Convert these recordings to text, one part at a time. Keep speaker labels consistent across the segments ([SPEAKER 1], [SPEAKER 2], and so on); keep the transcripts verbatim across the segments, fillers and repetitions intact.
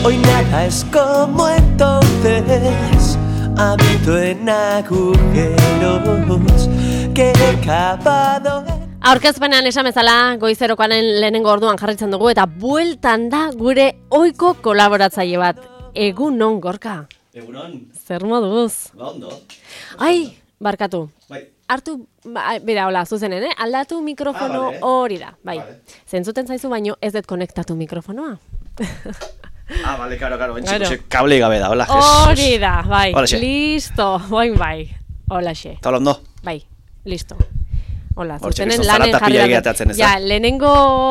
[SPEAKER 1] Hoy nada es como entonces, habito en agujeros que he cavado.
[SPEAKER 2] Aurkezpenean esan bezala, goizerokoaren lehenengo orduan jarritzen dugu eta bueltan da gure ohiko kolaboratzaile bat. Egunon, Gorka.
[SPEAKER 3] Egunon.
[SPEAKER 2] Zer moduz?
[SPEAKER 3] Ba, ondo.
[SPEAKER 2] Ai, barkatu.
[SPEAKER 3] Bai.
[SPEAKER 2] Hartu, ba, bera, hola, zuzenen, eh? Aldatu mikrofono
[SPEAKER 3] Ah, vale.
[SPEAKER 2] hori da, bai.
[SPEAKER 3] Vale.
[SPEAKER 2] Zentzuten zaizu baino ez dut konektatu mikrofonoa.
[SPEAKER 3] Ah, vale, karo, karo.
[SPEAKER 2] Claro.
[SPEAKER 3] Claro. Kable gabe da, hola.
[SPEAKER 2] Hori da, bai.
[SPEAKER 3] Holaxe.
[SPEAKER 2] Listo, boin bai. Holaxe.
[SPEAKER 3] Eta hola ondo.
[SPEAKER 2] Bai, listo. Hola,
[SPEAKER 3] Hortxe,
[SPEAKER 2] zutenen
[SPEAKER 3] kriston
[SPEAKER 2] lanen
[SPEAKER 3] zarata
[SPEAKER 2] jarri
[SPEAKER 3] pila
[SPEAKER 2] dugu.
[SPEAKER 3] egiateatzen, ez da?
[SPEAKER 2] Ja, lehenengo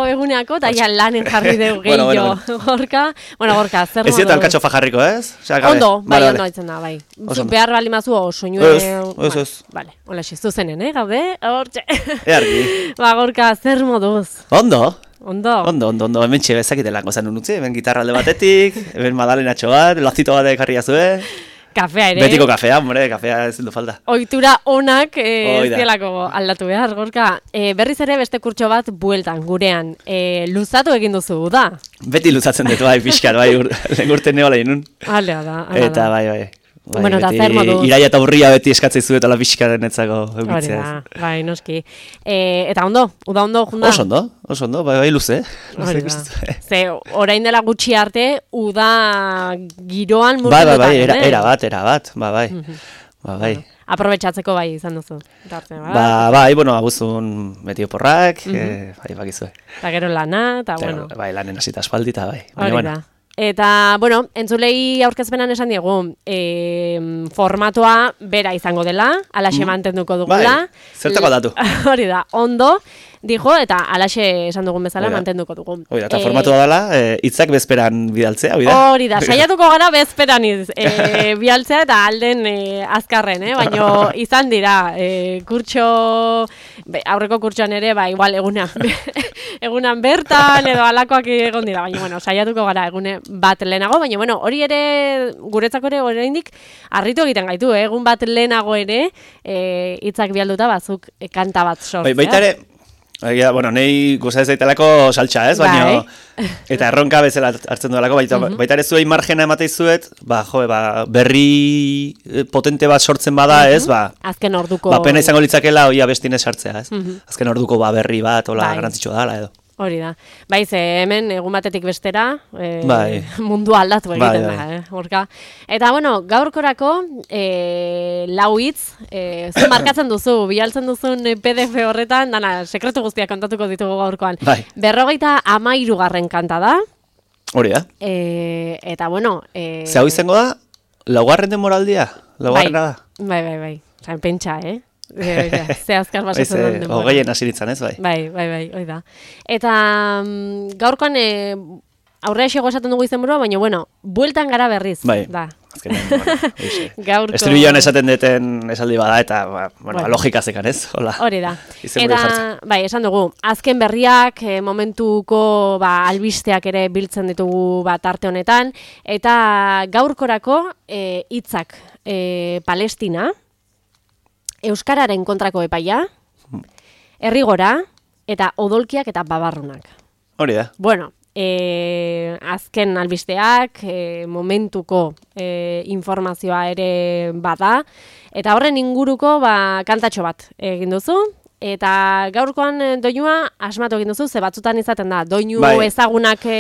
[SPEAKER 2] eguneako eta ja lanen jarri dugu
[SPEAKER 3] Bueno,
[SPEAKER 2] gehiago.
[SPEAKER 3] bueno,
[SPEAKER 2] Gorka, bueno, Gorka, zer
[SPEAKER 3] Ez
[SPEAKER 2] modu?
[SPEAKER 3] dieta alkatxofa jarriko, ez? Osea, gabe.
[SPEAKER 2] Ondo, bai,
[SPEAKER 3] Vale,
[SPEAKER 2] ondo
[SPEAKER 3] vale.
[SPEAKER 2] aitzen da, bai.
[SPEAKER 3] Oso
[SPEAKER 2] Zu
[SPEAKER 3] ondo.
[SPEAKER 2] behar bali mazu o soinue...
[SPEAKER 3] Ez, ez, ez.
[SPEAKER 2] Vale, hola xe, zuzenen, eh, gaude? Hortxe.
[SPEAKER 3] Eargi.
[SPEAKER 2] Ba, Gorka, zer moduz?
[SPEAKER 3] Ondo.
[SPEAKER 2] Ondo?
[SPEAKER 3] Ondo, ondo, ondo. Hemen txe bezakite lango zen unutzi. Hemen gitarra alde batetik, hemen madalenatxo bat, lozito batek jarri azue.
[SPEAKER 2] Kafea ere.
[SPEAKER 3] Betiko kafea, hombre, kafea ez du falta.
[SPEAKER 2] Ohitura onak eh,
[SPEAKER 3] Hoi
[SPEAKER 2] ez
[SPEAKER 3] da.
[SPEAKER 2] dielako aldatu behar, Gorka. Eh, berriz ere beste kurtso bat bueltan, gurean. Eh, luzatu egin duzu, da?
[SPEAKER 3] Beti luzatzen dut, bai, pixkat, bai, ur, lehen urten neola inun.
[SPEAKER 2] Alea da, alea
[SPEAKER 3] Eta
[SPEAKER 2] da.
[SPEAKER 3] bai, bai. Bai,
[SPEAKER 2] Bueno, eta
[SPEAKER 3] beti
[SPEAKER 2] zer moduz?
[SPEAKER 3] iraia eta urria beti eskatzen zu eta la pixkaren etzako
[SPEAKER 2] Hori
[SPEAKER 3] eukitzea.
[SPEAKER 2] da, bai, noski. Eh, eta ondo, uda ondo, junda?
[SPEAKER 3] Oso ondo, oso ondo, bai, bai, luze.
[SPEAKER 2] Hori
[SPEAKER 3] luze
[SPEAKER 2] da.
[SPEAKER 3] ikustu.
[SPEAKER 2] Ze, orain dela gutxi arte, uda giroan
[SPEAKER 3] Bai, bai, bai,
[SPEAKER 2] murgilduta,
[SPEAKER 3] era,
[SPEAKER 2] eh?
[SPEAKER 3] era bat, era bat, ba, bai. Ba, bai.
[SPEAKER 2] Aprobetxatzeko bai izan duzu. Tarte, ba?
[SPEAKER 3] Ba, bai, bueno, abuzun beti oporrak, eh, bai, bakizue.
[SPEAKER 2] Eta gero lana, eta
[SPEAKER 3] Eta,
[SPEAKER 2] bueno.
[SPEAKER 3] bai, lanen hasita aspaldi, eta bai. Baina,
[SPEAKER 2] Hori
[SPEAKER 3] bueno,
[SPEAKER 2] da. Eta, bueno, entzulei aurkezpenan esan diegu, e, formatoa bera izango dela, alaxe mantenduko dugula.
[SPEAKER 3] Bai, zertako aldatu.
[SPEAKER 2] Hori da, ondo, dijo, eta alaxe esan dugun bezala
[SPEAKER 3] Hori da.
[SPEAKER 2] mantenduko dugu.
[SPEAKER 3] hori da, eta
[SPEAKER 2] Eh,
[SPEAKER 3] formatua dela, eh, hitzak bezperan bidaltzea, hori da?
[SPEAKER 2] Hori da, saiatuko gara bezperan iz, e, bialtzea eta alden e, azkarren, eh? Baina izan dira, e, kurtso, be, aurreko kurtsoan ere, ba, igual egunan, egunan bertan edo alakoak egon dira, baina, bueno, saiatuko gara egune bat lehenago, baina, bueno, hori ere, guretzako ere oraindik harritu egiten gaitu, eh? Egun bat lehenago ere, e, hitzak bialduta bazuk e, kanta bat sortzea.
[SPEAKER 3] Bai, baita ere, egia, bueno, nei gusta ez daitelako saltsa, ez? Baina,
[SPEAKER 2] Bai.
[SPEAKER 3] eta erronka bezala hartzen duelako, baita, baita ere zuei margena ematei zuet, ba, jo, ba, berri eh, potente bat sortzen bada, ez? Ba,
[SPEAKER 2] Azken orduko...
[SPEAKER 3] ba, pena izango litzakela hoi abestine sartzea, ez? Azken orduko ba, berri bat, hola,
[SPEAKER 2] Bai.
[SPEAKER 3] garrantzitsua dala, edo.
[SPEAKER 2] Hori da. Bai, ze hemen egun batetik bestera e,
[SPEAKER 3] Bai.
[SPEAKER 2] mundua aldatu egiten
[SPEAKER 3] Bai,
[SPEAKER 2] da,
[SPEAKER 3] bai.
[SPEAKER 2] eh, Gorka. Eta, bueno, gaurkorako e, lau hitz, e, zu markatzen duzu, bialtzen duzun P D F horretan, dana, sekretu guztiak kontatuko ditugu gaurkoan.
[SPEAKER 3] Bai.
[SPEAKER 2] Berrogeita amairugarren kanta da,
[SPEAKER 3] Hori da.
[SPEAKER 2] e, eta, bueno... E,
[SPEAKER 3] Ze hau izango da, laugarren denboraldia? Laugarrena da?
[SPEAKER 2] Bai, bai, bai. Osa, pentsa, eh? E, ja, ze azkar
[SPEAKER 3] Baiz,
[SPEAKER 2] basatzen
[SPEAKER 3] eh,
[SPEAKER 2] den denbora.
[SPEAKER 3] hogeien hasi nintzen, ez, bai?
[SPEAKER 2] Bai, bai, bai, hoi da. Eta mm, gaurkoan e, aurrea xego esaten dugu izenburua, baina, bueno, bueltan gara berriz.
[SPEAKER 3] Bai.
[SPEAKER 2] Da.
[SPEAKER 3] Azkenean, bueno, hoize.
[SPEAKER 2] Gaurko...
[SPEAKER 3] Estribilloan esaten deten esaldi bada, eta, ba, bueno,
[SPEAKER 2] Bueno.
[SPEAKER 3] logika zekan, ez? Hola.
[SPEAKER 2] Hori da.
[SPEAKER 3] Izenburua
[SPEAKER 2] Eta,
[SPEAKER 3] jartzen.
[SPEAKER 2] bai, esan dugu, azken berriak, e, momentuko ba, albisteak ere biltzen ditugu ba, tarte honetan, eta gaurkorako e, hitzak e, Palestina, Euskararen kontrako epaia, Herrigora, eta odolkiak eta babarrunak.
[SPEAKER 3] Hori da.
[SPEAKER 2] Bueno, e, azken albisteak, e, momentuko e, informazioa ere bada, eta horren inguruko ba, kantatxo bat egin duzu, eta gaurkoan e, doinua asmatu egin duzu, ze batzutan izaten da, doinu
[SPEAKER 3] Bai.
[SPEAKER 2] ezagunak e,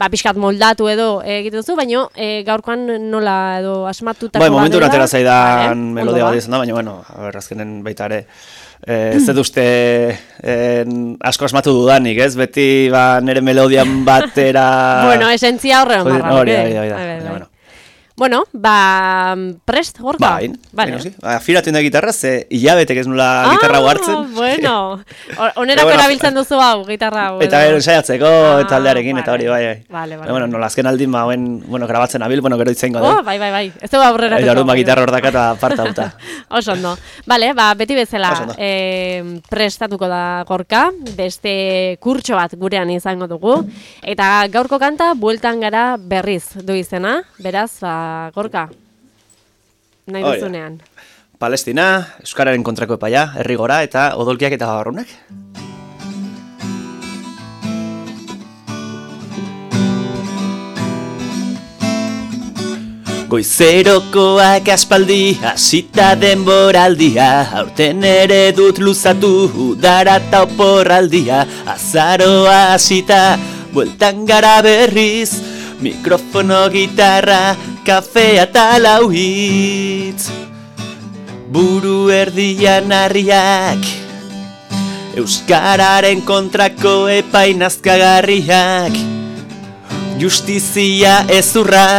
[SPEAKER 2] ba, pixkat moldatu edo egiten duzu, baina e, gaurkoan nola edo asmatutako
[SPEAKER 3] Bai, momentu
[SPEAKER 2] badela.
[SPEAKER 3] atera zaidan
[SPEAKER 2] Vale,
[SPEAKER 3] melodia
[SPEAKER 2] ondo
[SPEAKER 3] bat izan da, baina, bueno, a ber, azkenen baita ere, eh, ez dut uste en, asko asmatu dudanik, ez? Beti, ba, nire melodian batera...
[SPEAKER 2] Bueno, esentzia horre
[SPEAKER 3] Hori-
[SPEAKER 2] hondarra.
[SPEAKER 3] hori da, hori da, hori da,
[SPEAKER 2] Bai, bai,
[SPEAKER 3] baina,
[SPEAKER 2] bai.
[SPEAKER 3] bueno.
[SPEAKER 2] Bueno, ba, prest, Gorka?
[SPEAKER 3] Bai,
[SPEAKER 2] Vale.
[SPEAKER 3] vale. Afiratu inda gitarra, ze hilabetek ez nula gitarra hau hartzen.
[SPEAKER 2] Ah, bueno. O- Onerako
[SPEAKER 3] Pero bueno,
[SPEAKER 2] erabiltzen duzu hau, gitarra hau.
[SPEAKER 3] Eta
[SPEAKER 2] edo?
[SPEAKER 3] gero ensaiatzeko,
[SPEAKER 2] Ah,
[SPEAKER 3] taldearekin, eta
[SPEAKER 2] vale.
[SPEAKER 3] hori, bai, bai.
[SPEAKER 2] Vale, vale.
[SPEAKER 3] Baina, bueno, nola azken aldin, ba, hoen, bueno, grabatzen abil, bueno, gero itzengo
[SPEAKER 2] Oh,
[SPEAKER 3] da.
[SPEAKER 2] bai, bai, bai. Ez dugu aurrera.
[SPEAKER 3] Eta orduan, ba, gitarra hordaka eta parta auta.
[SPEAKER 2] Oso ondo. Bale, ba, beti bezala
[SPEAKER 3] Oso ondo.
[SPEAKER 2] eh, prestatuko da Gorka, beste kurtso bat gurean izango dugu, eta gaurko kanta bueltan gara berriz du izena, beraz, ba, Gorka, nahi
[SPEAKER 3] Hori da.
[SPEAKER 2] duzunean.
[SPEAKER 3] Palestina, Euskararen kontrako epaia, Herrigora eta odolkiak eta babarrunak. Goizerokoak aspaldi hasita denboraldia, aurten ere dut luzatu udara ta oporraldia. Azaroa hasita, bueltan gara berriz, mikrofono, gitarra, kafea eta lau hitz. Buru erdian harriak, euskararen kontrako epai nazkagarriak, justizia ezurra,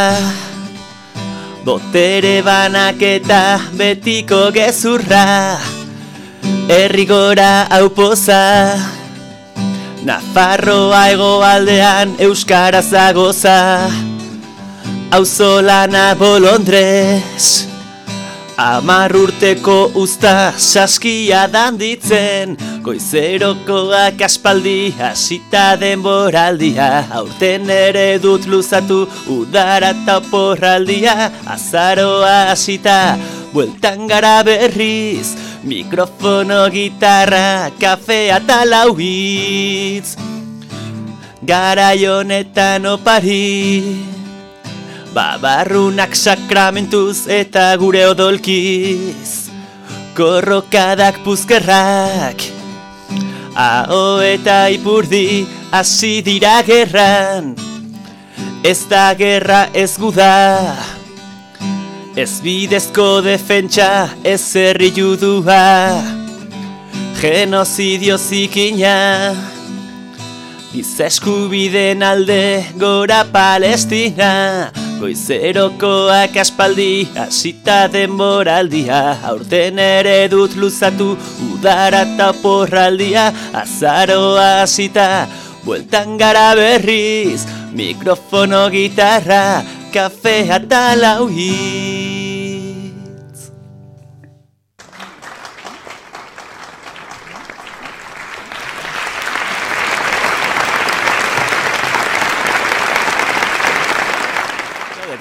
[SPEAKER 3] botere banaketa betiko gezurra, herrigora aupoza, Nafarroa hegoaldean euskaraz agoza, auzolana bolondrez, hamar urteko usta saskia danditzen, goizerokoak aspaldi hasita denboraldia, aurten ere dut luzatu udara ta oporraldia. Azaroa hasita, bueltan gara berriz, mikrofono, gitarra, kafea eta lau hitz. Garai honetan opari, babarrunak sakramentuz eta gure odolkiz, korrokadak puzkerrak, aho eta ipurdi hasi dira gerran. Ez da gerra ez guda, ez bidezko defentsa, ez herri judua, genozidio zikina, giza eskubideen alde gora Palestina. Goizerokoak aspaldi hasita denboraldia, aurten ere dut luzatu udara ta oporraldia. Azaroa hasita, bueltan gara berriz, mikrofono, gitarra, kafea eta lau hitz.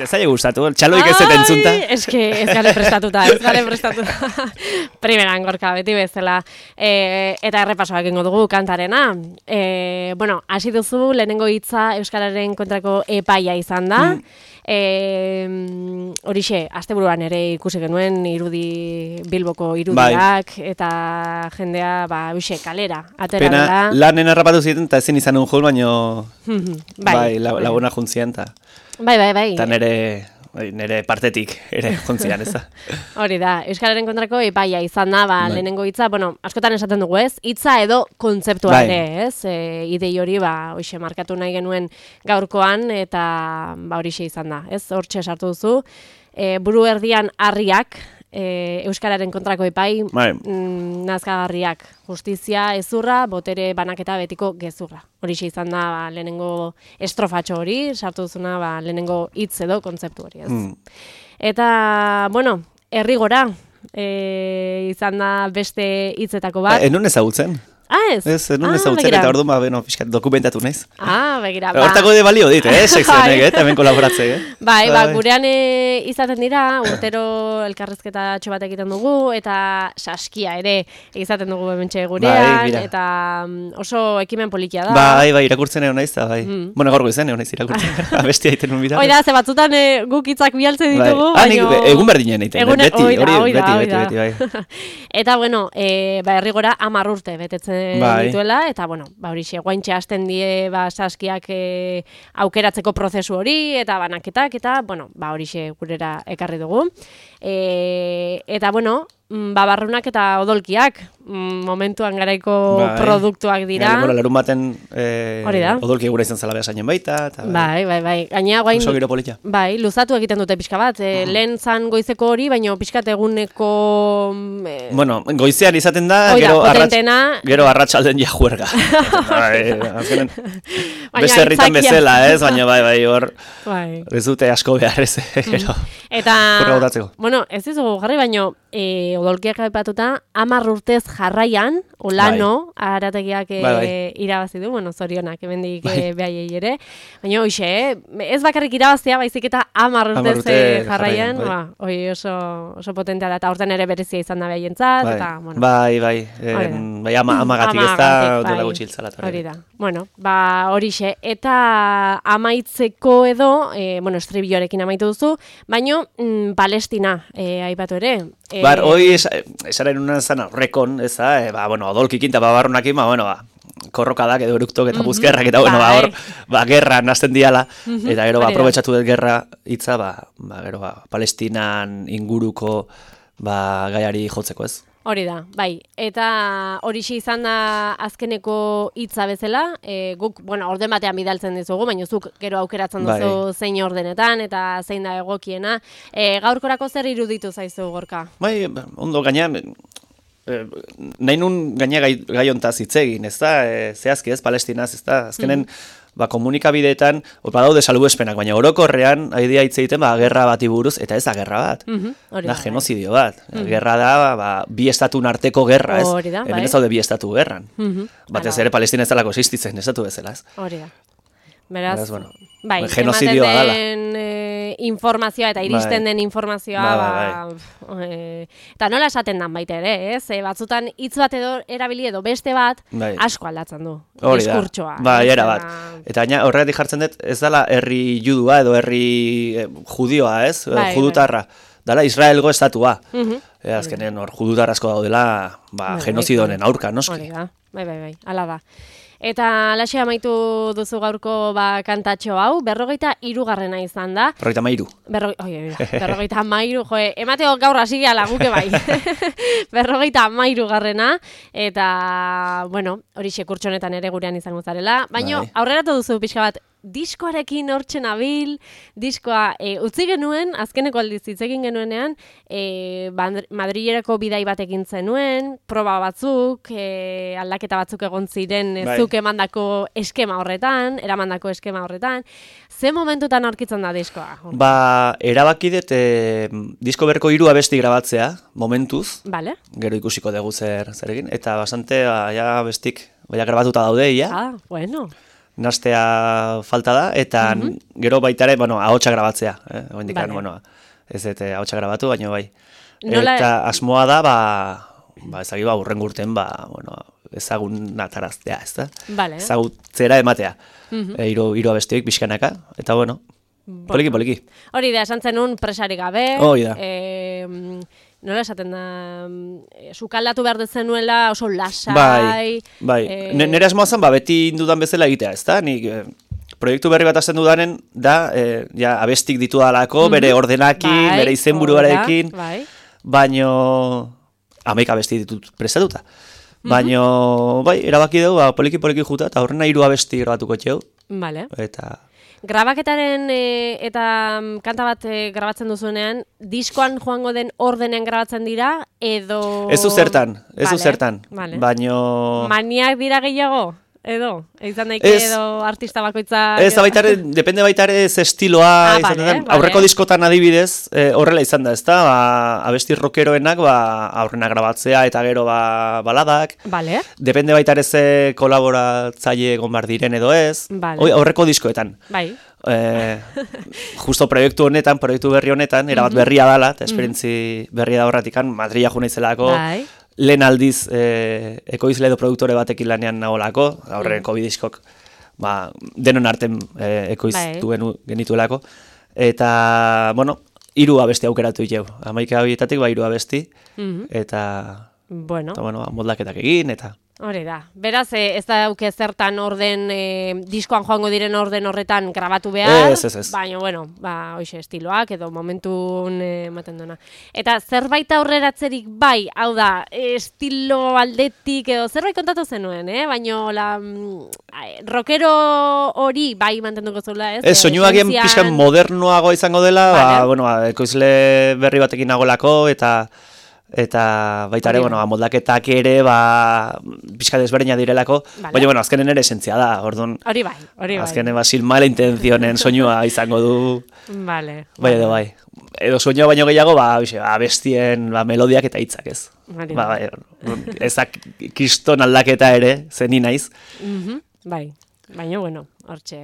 [SPEAKER 3] Ez zaila gustatu, txaloik ez zeten zunta.
[SPEAKER 2] Ez que ez gale prestatuta, ez gale prestatuta. Primeran gorka, beti bezala. E, eta errepasoak egingo dugu kantarena. E, bueno, hasi duzu lehenengo hitza euskararen kontrako epaia izan da. Mm. E, horixe, asteburuan ere ikusi genuen irudi Bilboko irudiak, bai. Eta jendea, ba, uxe, kalera, atera
[SPEAKER 3] Pena,
[SPEAKER 2] dela.
[SPEAKER 3] lanen errapatu ziren, eta ezin izan un jol, baino
[SPEAKER 2] bai,
[SPEAKER 3] bai, laguna juntzien, eta
[SPEAKER 2] bai, bai, bai.
[SPEAKER 3] Eta nere, nere partetik ere jontzian, ez da.
[SPEAKER 2] Hori da, euskararen kontrako epaia izan da, ba, bai. Lehenengo hitza, bueno, askotan esaten dugu ez, hitza edo kontzeptua bai. Ere, ez, e, idei hori, ba, hoxe, markatu nahi genuen gaurkoan, eta, ba, horixe izan da, ez, hortxe sartu duzu, e, buru erdian harriak, e, euskararen kontrako epai, bai. mm, nazkagarriak, justizia ezurra, botere banaketa betiko gezurra. Horixe izan da, ba, lehenengo estrofatxo hori, sartu duzuna, ba, lehenengo hitz edo kontzeptu hori, ez. Mm. Eta, bueno, herrigora, e, izan da beste hitzetako bat.
[SPEAKER 3] Ba, enun ezagutzen?
[SPEAKER 2] Ah, ez?
[SPEAKER 3] Ez, enun ah, ezagutzen, eta orduan, ba, beno, fiskat, dokumentatu naiz.
[SPEAKER 2] Ah, begira, ba.
[SPEAKER 3] Hortako de balio dit, eh, sekzionek, eh, hemen kolaboratze, eh.
[SPEAKER 2] Bai, ba, gurean e, izaten dira, urtero elkarrezketa txobat egiten dugu, eta saskia ere izaten dugu hementxe gurean, bai, eta oso ekimen politia da.
[SPEAKER 3] Bai, bai, irakurtzen egon naiz, da, bai. Mm. Bueno, gaurko izan egon naiz irakurtzen, abestia egiten un bidar.
[SPEAKER 2] Oida, ze batzutan e, guk hitzak bialtzen ditugu,
[SPEAKER 3] bai. baino... Ah, nik egun berdinen egiten, egun, beti, hori, beti, beti, beti, bai.
[SPEAKER 2] Eta, bueno, e, ba, herrigora hamar urte betetzen bai. Dituela, eta, bueno, ba, horixe, guaintxe hasten die, ba, saskiak e, aukeratzeko prozesu hori, eta banaketak, eta, bueno, ba, horixe gurera ekarri dugu. E, eta, bueno, babarrunak eta odolkiak, momentuan garaiko bai. Produktuak dira.
[SPEAKER 3] Bai, larun baten e, odolki gura izan zela behasainen baita. Eta,
[SPEAKER 2] bai, bai, bai. Gainea, guain,
[SPEAKER 3] oso giro politia.
[SPEAKER 2] Bai, luzatu egiten dute pixka bat. E, mm. Lehen zan goizeko hori, baina pixkat eguneko... E,
[SPEAKER 3] bueno, goizean izaten da,
[SPEAKER 2] oida,
[SPEAKER 3] gero, arratx, gero arratsalden ja juerga. bai, azkenen, beste herritan bezala, ez? Baina bai, bai, hor, bai. Ez dute asko behar ez, gero.
[SPEAKER 2] Eta, bueno, ez dizugu jarri, baina e, odolkiak aipatuta, hamar urtez jarraian, Olano, bai. Arategiak e, bai, bai. irabazi du, bueno, zorionak, emendik bai. behaiei ere. Baina, hoxe, ez bakarrik irabaztea, baizik eta hamar urte jarraian, bai. ba, oi oso, oso potentea da, eta horten ere berezia izan da behaientzat,
[SPEAKER 3] bai.
[SPEAKER 2] eta, bueno.
[SPEAKER 3] Bai, bai, en, bai, ama, amagatik ez da, dela bai. gutxiltzalat.
[SPEAKER 2] Hori da, bueno, ba, horixe, eta amaitzeko edo, e, bueno, estribioarekin amaitu duzu, baino, mm, Palestina, e, aipatu ere.
[SPEAKER 3] E, Bar, hoi, esaren unan zan aurrekon, ez da, e, ba, bueno, odolkikin eta babarrunakin, ba, bueno, ba, korrokadak edo eruktok eta buzkerrak eta, bueno, ba, hor, ba, gerra nazten diala, eta gero, ba, aprobetsatu dut gerra hitza, ba, ba, gero, ba, Palestinan inguruko, ba, gaiari jotzeko, ez?
[SPEAKER 2] Hori da, bai, eta horixe izan da azkeneko hitza bezala, e, guk, bueno, orden batean bidaltzen dizugu, baina zuk gero aukeratzen duzu bai. zein ordenetan, eta zein da egokiena. E, gaurkorako zer iruditu zaizu, Gorka?
[SPEAKER 3] Bai, ondo, gaina, e, nahi nun gaina gai, gai ontaz hitz egin, ez da, e, zehazki ez, Palestinaz, ez da, azkenen, mm. ba, komunikabideetan, badaude salbuespenak, baina orokorrean, haidea hitz egiten, ba, gerra bati buruz, eta ez da gerra bat,
[SPEAKER 2] mm-hmm,
[SPEAKER 3] da genozidio bat. Mm-hmm. Gerra da, ba, bi estatun arteko gerra, ez?
[SPEAKER 2] Da,
[SPEAKER 3] hemen
[SPEAKER 2] bai.
[SPEAKER 3] ez daude bi estatu gerran. Mm-hmm. Batez ere Palestina ez dalako existitzen, estatu bezala, ez?
[SPEAKER 2] Hori da. Beraz,
[SPEAKER 3] Beraz bueno,
[SPEAKER 2] bai,
[SPEAKER 3] genozidioa dala.
[SPEAKER 2] E, informazioa eta iristen bai. den informazioa,
[SPEAKER 3] bai,
[SPEAKER 2] ba, bai. E, eta nola esaten dan baita ere, ez? E, batzutan hitz bat edo erabili edo beste bat, bai. asko aldatzen du.
[SPEAKER 3] Hori
[SPEAKER 2] diskurtsoa.
[SPEAKER 3] Da, bai, era bat. Eta gaina horregatik jartzen dut, ez dala herri judua edo herri eh, judioa, ez? Bai, Judutarra. Bai. Dala Israelgo estatua. Uh-huh. E, azkenen hor judutarrazko daudela, ba, bai, genozidonen bai. aurka, noski.
[SPEAKER 2] Hori da, bai, bai, bai, ala da. Eta alaxe amaitu duzu gaurko ba, kantatxo hau, berrogeita irugarrena izan da.
[SPEAKER 3] Berrogeita mairu.
[SPEAKER 2] Berro, oie, berrogeita mairu, joe, emateo gaur hasi gehala guke bai. berrogeita mairu garrena, eta, bueno, hori sekurtsonetan ere gurean izango zarela. Baina bai. aurreratu duzu pixka bat, diskoarekin hortzen abil, diskoa e, utzi genuen, azkeneko aldiz hitz egin genuenean, e, Madrilerako bidai bat egin zenuen, proba batzuk, e, aldaketa batzuk egon ziren, bai. zuk emandako eskema horretan, eramandako eskema horretan. Ze momentutan aurkitzen da diskoa?
[SPEAKER 3] Ba, erabaki dut e, disko berko hiru abesti grabatzea, momentuz,
[SPEAKER 2] vale.
[SPEAKER 3] Gero ikusiko dugu zer, zer egin, eta bastante, ba, ja bestik, baina grabatuta daude, ja.
[SPEAKER 2] Ah, bueno.
[SPEAKER 3] Nastea falta da, eta mm-hmm. gero baitare, bueno, ahotsa grabatzea. Eh? Oendikan, vale. bueno, ez dut ahotsa grabatu, baina bai. Nola... Eta asmoa da, ba, ba ezagi, ba, urren gurten, ba, bueno, ezagun nataraztea, ez da?
[SPEAKER 2] Vale.
[SPEAKER 3] Ezagutzera ematea. Mm-hmm. E, iru, iru abestioik pixkanaka, eta bueno, bueno. poliki, poliki.
[SPEAKER 2] Hori da, esan zenun presarik gabe.
[SPEAKER 3] Hori da.
[SPEAKER 2] E, nola esaten da, e, sukaldatu behar dezenuela oso lasai.
[SPEAKER 3] Bai, bai. E... Nere asmoa zen, ba, beti indudan bezala egitea, ez da? Nik, e, proiektu berri bat azten dudanen, da, e, ja, abestik ditu dalako, mm-hmm. bere ordenakin, bai, bere izenburuarekin,
[SPEAKER 2] bai.
[SPEAKER 3] baino, amaik abesti ditut prestatuta. Mm-hmm. Baino, bai, erabaki dugu, ba, poliki-poliki juta, eta horrena hiru abesti grabatuko txeu.
[SPEAKER 2] Vale.
[SPEAKER 3] Eta...
[SPEAKER 2] Grabaketaren e, eta kanta bat e, grabatzen duzunean, diskoan joango den ordenean grabatzen dira, edo...
[SPEAKER 3] Ez du zertan, ez du
[SPEAKER 2] vale,
[SPEAKER 3] zertan,
[SPEAKER 2] vale.
[SPEAKER 3] baino...
[SPEAKER 2] Maniak dira gehiago, edo? Izan daike edo artista bakoitza...
[SPEAKER 3] Ez, baitare, depende baitare ez estiloa,
[SPEAKER 2] ah,
[SPEAKER 3] izan
[SPEAKER 2] vale,
[SPEAKER 3] den, aurreko vale. diskotan adibidez, e, horrela izan da, ez da, ba, abesti rockeroenak, ba, aurrena grabatzea eta gero ba, baladak.
[SPEAKER 2] Vale.
[SPEAKER 3] Depende baitare ze kolaboratzaile egon bar diren edo ez,
[SPEAKER 2] vale.
[SPEAKER 3] Oi, aurreko diskoetan.
[SPEAKER 2] Bai.
[SPEAKER 3] E, justo proiektu honetan, proiektu berri honetan, erabat mm-hmm. berria dala, eta esperientzi mm-hmm. berria da horretikan, Madrila jo naizelako,
[SPEAKER 2] bai.
[SPEAKER 3] lehen aldiz e, ekoizle edo produktore batekin lanean nagolako, aurreko mm. bidiskok ba, denon arten e, ekoiztu bai. genituelako. Eta, bueno, hiru abesti aukeratu jau. Hamaika horietatik, ba, hiru abesti, mm-hmm. eta,
[SPEAKER 2] bueno.
[SPEAKER 3] eta, bueno, moldaketak egin, eta...
[SPEAKER 2] Hori da. Beraz, ez da dauke zertan orden, e, diskoan joango diren orden horretan grabatu behar,
[SPEAKER 3] ez, ez, ez.
[SPEAKER 2] baina, bueno, ba, hoxe, estiloak edo momentun ematen duena. Eta zerbait aurreratzerik bai, hau da, estilo aldetik edo zerbait kontatu zenuen, eh? Baina, la, rockero hori bai mantenduko zuela, ez?
[SPEAKER 3] Ez, soinuagien pixkan modernoago izango dela, vale. ba, bueno, ekoizle berri batekin nagolako, eta... eta baita ere,
[SPEAKER 2] Hori
[SPEAKER 3] bueno,
[SPEAKER 2] da.
[SPEAKER 3] moldaketak ere, ba, pixka desberdina direlako,
[SPEAKER 2] Vale.
[SPEAKER 3] baina, bueno, azkenen ere esentzia da, orduan,
[SPEAKER 2] Hori bai, hori bai.
[SPEAKER 3] azkenen, ba, sin mala intencionen soinua izango du,
[SPEAKER 2] Vale.
[SPEAKER 3] bai edo bai. Edo soinua baino gehiago, ba, bixe, ba, bestien, ba, melodiak eta hitzak ez.
[SPEAKER 2] Hori
[SPEAKER 3] Ba,
[SPEAKER 2] da.
[SPEAKER 3] bai, ezak kiston aldaketa ere, zeni naiz.
[SPEAKER 2] Mhm, bai, baina, bueno, hortxe...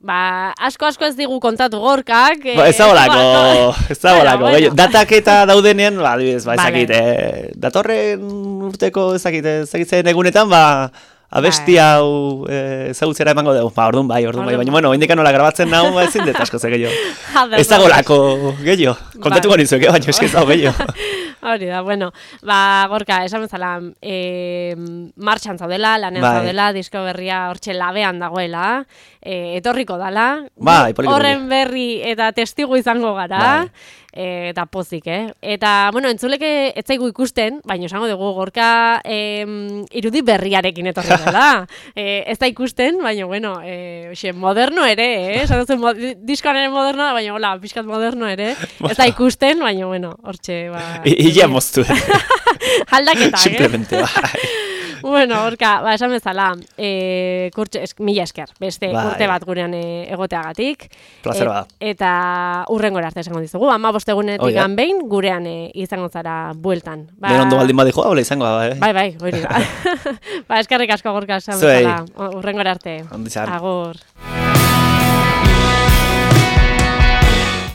[SPEAKER 2] Ba, asko-asko ez digu kontatu gorkak.
[SPEAKER 3] Ba, ez dagoelako, ez dagoelako.
[SPEAKER 2] Bueno, bueno.
[SPEAKER 3] Datak eta daudenean, ba, adibidez, ba,
[SPEAKER 2] Vale.
[SPEAKER 3] ezakit, eh, datorren urteko ezakit, ezakitzen egunetan, ba, abesti
[SPEAKER 2] Bai.
[SPEAKER 3] hau eh, ezagutzera emango dugu. Ba, orduan bai, orduan bai,
[SPEAKER 2] Orduan
[SPEAKER 3] baina, bueno, indikan nola grabatzen nahu, ba, ezin dut asko ze gehiago.
[SPEAKER 2] Ados,
[SPEAKER 3] Ez dagoelako gehiago. Kontatuko
[SPEAKER 2] Bai.
[SPEAKER 3] nizueke, baina eski ez dago gehiago.
[SPEAKER 2] Hori da, bueno, ba, gorka, esan bezala, e, martxan zaudela, lanean
[SPEAKER 3] Bai.
[SPEAKER 2] zaudela, disko berria hortxe labean dagoela, e, etorriko dala,
[SPEAKER 3] Bai, poliki,
[SPEAKER 2] horren berri eta testigu izango gara,
[SPEAKER 3] Bai.
[SPEAKER 2] e, eta pozik, eh? Eta, bueno, entzuleke ez zaigu ikusten, baina esango dugu, gorka e, irudi berriarekin etorri dela. e, ez da ikusten, baina, bueno, e, oxe, moderno ere, eh? Esan duzu, mo, diskoan ere moderno, baina, hola, pixkat moderno ere, ez da ikusten, baina, bueno, hortxe, ba...
[SPEAKER 3] Illa moztu.
[SPEAKER 2] Aldaketa, eh?
[SPEAKER 3] Simplemente, bai.
[SPEAKER 2] Bueno, horka, ba, esan bezala, e, kurtxe, es, mila esker, beste
[SPEAKER 3] Bai.
[SPEAKER 2] urte bat gurean e, egoteagatik.
[SPEAKER 3] Plazer bada.
[SPEAKER 2] Eta urrengora arte esango dizugu, ama bostegunetik
[SPEAKER 3] Hoi da.
[SPEAKER 2] behin gurean e, izango zara bueltan. Ba,
[SPEAKER 3] Den ondo baldin badi joa, hola izango, bai.
[SPEAKER 2] Bai, bai, hori da. Ba, eskerrik asko gorka esan
[SPEAKER 3] Zuei.
[SPEAKER 2] bezala, urrengora arte.
[SPEAKER 3] Ondo izan.
[SPEAKER 2] Agur.